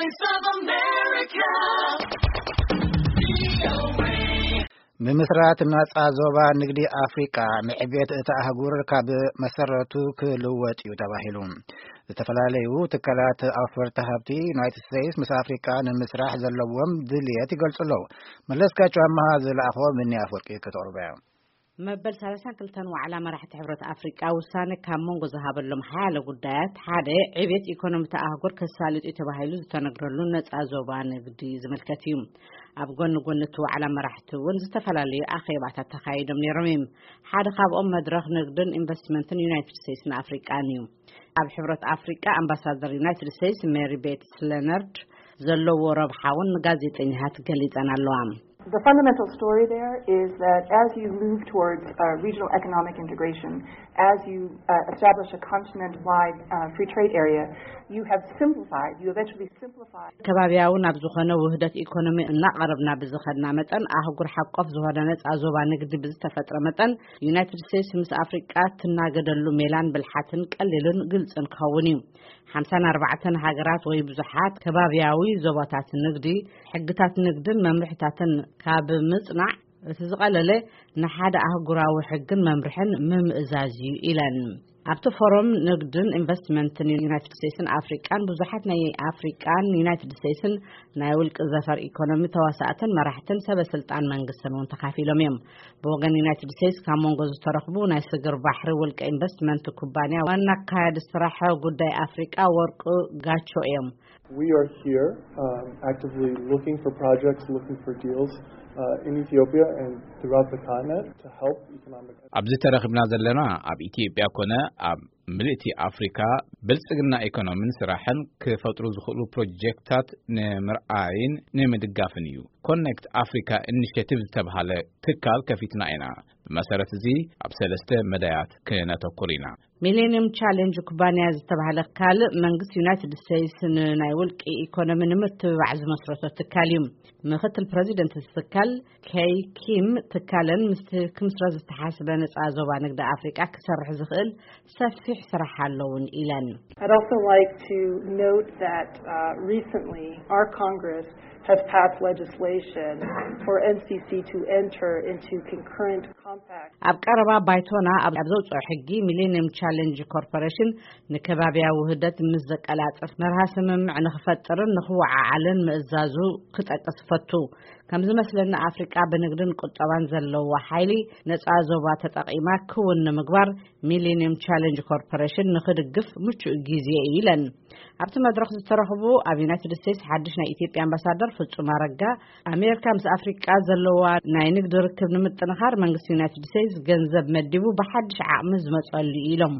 Voice of America. ብምስራት ናጻ ዞባ ንግዲ ኣፍሪቃ፣ ንዕቤት እታ ኣህጉር ካብ መሰረቱ ክልወጥ እዩ ተባሂሉ። ዝተፈላለዩ ትካላት ኣውፈርቲ ሃብቲ ዩናይትድ ስቴትስ ምስ ኣፍሪቃ ንምስራሕ ዘለዎም ድልየት ይገልጹ ኣለዉ። መለስካቸው ኣመሃ ዝለኣኾ፣ ምኒ ኣፍወርቂ ከተቕርቦ እያ። መበል ሰላሳን ክልተን ዋዕላ መራሕቲ ሕብረት ኣፍሪቃ ውሳነ ካብ መንጎ ዝሃበሎም ሓያለ ጉዳያት ሓደ፣ ዕቤት ኢኮኖሚ እታ ኣህጉር ከሳልጥ እዩ ተባሂሉ ዝተነግረሉ ነጻ ዞባ ንግዲ ዝምልከት እዩ። ኣብ ጎኒ ጎኒ እቲ ዋዕላ መራሕቲ እውን ዝተፈላለዩ ኣኼባታት ተኻይዶም ነይሮም እዮም። ሓደ ካብኦም መድረኽ ንግድን ኢንቨስትመንትን ዩናይትድ ስቴትስን ኣፍሪቃን እዩ። ኣብ ሕብረት ኣፍሪቃ ኣምባሳደር ዩናይትድ ስቴትስ ሜሪ ቤትስ ለነርድ ዘለዎ ረብሓ እውን ንጋዜጠኛታት ገሊጸን ኣለዋ። The fundamental story there is that as you move towards uh, regional economic integration, as you uh, establish a continent-wide uh, free trade area, you have simplified, you eventually simplified. ከባቢያዊ ናብ ዝኾነ ውህደት ኢኮኖሚ እናቐረብና ብዝኸድና መጠን፣ ኣህጉር ሓቆፍ ዝኾነ ነጻ ዞባ ንግዲ ብዝተፈጥረ መጠን፣ ዩናይትድ ስቴትስ ምስ ኣፍሪቃ ትናገደሉ ሜላን ብልሓትን ቀሊልን ግልጽን ክኸውን እዩ። ሓምሳን ኣርባዕተን ሃገራት ወይ ብዙሓት ከባቢያዊ ዞባታት ንግዲ፣ ሕግታት ንግድን መምርሕታትን ካብ ምጽናዕ፣ እቲ ዝቐለለ ንሓደ ኣህጉራዊ ሕግን መምርሕን ምምእዛዝ እዩ ኢለን። ኣብቲ ፎረም ንግድን ኢንቨስትመንትን ዩናይትድ ስቴትስን ኣፍሪቃን ብዙሓት ናይ ኣፍሪቃን ዩናይትድ ስቴትስን ናይ ውልቂ ዘፈር ኢኮኖሚ ተዋሳእትን መራሕትን ሰበ ስልጣን መንግስትን እውን ተኻፊሎም እዮም። ብወገን ዩናይትድ ስቴትስ ካብ መንጎ ዝተረኽቡ ናይ ስግር ባሕሪ ውልቀ ኢንቨስትመንት ኩባንያ ዋና ኣካያዲ ስራሕ ጉዳይ ኣፍሪቃ ወርቁ ጋቾ እዮም። We are here um, actively looking for projects, looking for deals uh, in Ethiopia and throughout the continent to help economic ኣብዚ ተረኺብና ዘለና ኣብ ኢትዮጵያ ኮነ ኣብ ምልእቲ ኣፍሪካ ብልጽግና ኢኮኖሚን ስራሕን ክፈጥሩ ዝኽእሉ ፕሮጀክታት ንምርኣይን ንምድጋፍን እዩ። ኮኔክት ኣፍሪካ ኢኒሽቲቭ ዝተብሃለ ትካል ከፊትና ኢና። ብመሰረት እዚ ኣብ ሰለስተ መዳያት ክነተኩር ኢና። ሚሌኒየም ቻሌንጅ ኩባንያ ዝተባህለ ካልእ መንግስቲ ዩናይትድ ስቴትስ ንናይ ውልቂ ኢኮኖሚ ንምትብባዕ ዝመስረቶ ትካል እዩ። ምክትል ፕረዚደንት እቲ ትካል ኬይ ኪም፣ ትካለን ምስቲ ክምስረት ዝተሓስበ ነጻ ዞባ ንግዲ ኣፍሪቃ ክሰርሕ ዝኽእል ሰፊሕ ስራሕ ኣለውን ኢለን። I'd also like to note that uh, recently our Congress has passed legislation for N C C to enter into concurrent compact. ኣብ ቀረባ ባይቶና ኣብ ኣብ ዘውፅኦ ሕጊ ሚሌኒየም ቻሌንጅ ኮርፖሬሽን ንከባቢያዊ ውህደት ምስ ዘቀላጥፍ መርሃ ስምምዕ ንክፈጥርን ንክወዓዓልን ምእዛዙ ክጠቅስ ፈቱ። ከም ዝመስለኒ ኣፍሪቃ ብንግድን ቁጠባን ዘለዋ ሓይሊ ነፃ ዞባ ተጠቂማ ክውን ንምግባር ሚሌኒየም ቻሌንጅ ኮርፖሬሽን ንክድግፍ ምቹእ ግዜ እዩ ኢለን። ኣብቲ መድረኽ ዝተረኽቡ ኣብ ዩናይትድ ስቴትስ ሓድሽ ናይ ኢትዮጵያ ኣምባሳደር ፍጹም ኣረጋ፣ ኣሜሪካ ምስ ኣፍሪቃ ዘለዋ ናይ ንግዲ ርክብ ንምጥንኻር መንግስቲ ዩናይትድ ስቴትስ ገንዘብ መዲቡ ብሓድሽ ዓቕሚ ዝመጸሉ እዩ ኢሎም።